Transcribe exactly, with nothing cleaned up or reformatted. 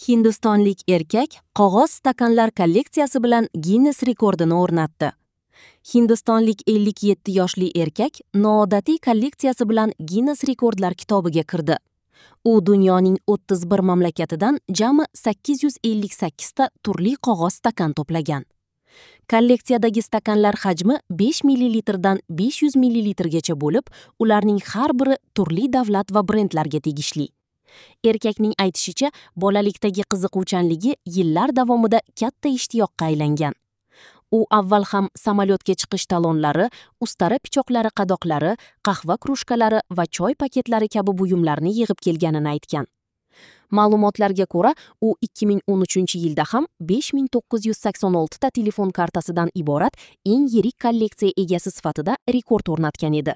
Hindistonlik erkak qog'oz stakanlar kolleksiyasi bilan Ginnes rekordini o'rnatdi. Hindistonlik ellik yetti yoshli erkak noodatiy kolleksiyasi bilan Ginnes rekordlar kitobiga kirdi. U dunyoning o'ttiz bir mamlakatidan jami sakkiz yuz ellik sakkizta turli qog'oz stakan to'plagan. Kolleksiyadagi stakanlar hajmi besh millilitrdan besh yuz millilitrgacha bo'lib, ularning har biri turli davlat va brendlarga tegishli. Erkakning aytishicha, bolalikdagi qiziquvchanligi yillar davomida katta ishtiyoqqa aylangan. U avval ham samolyotga chiqish talonlari, ustara pichoqlari qadoqlari, qahva krujkalari va choy paketlari kabi buyumlarni yig'ib kelganini aytgan. Ma'lumotlarga ko'ra, u ikki ming o'n uchinchi yilda ham besh ming to'qqiz yuz sakson oltita telefon kartasidan iborat eng yirik kolleksiya egasi sifatida rekord o'rnatgan edi.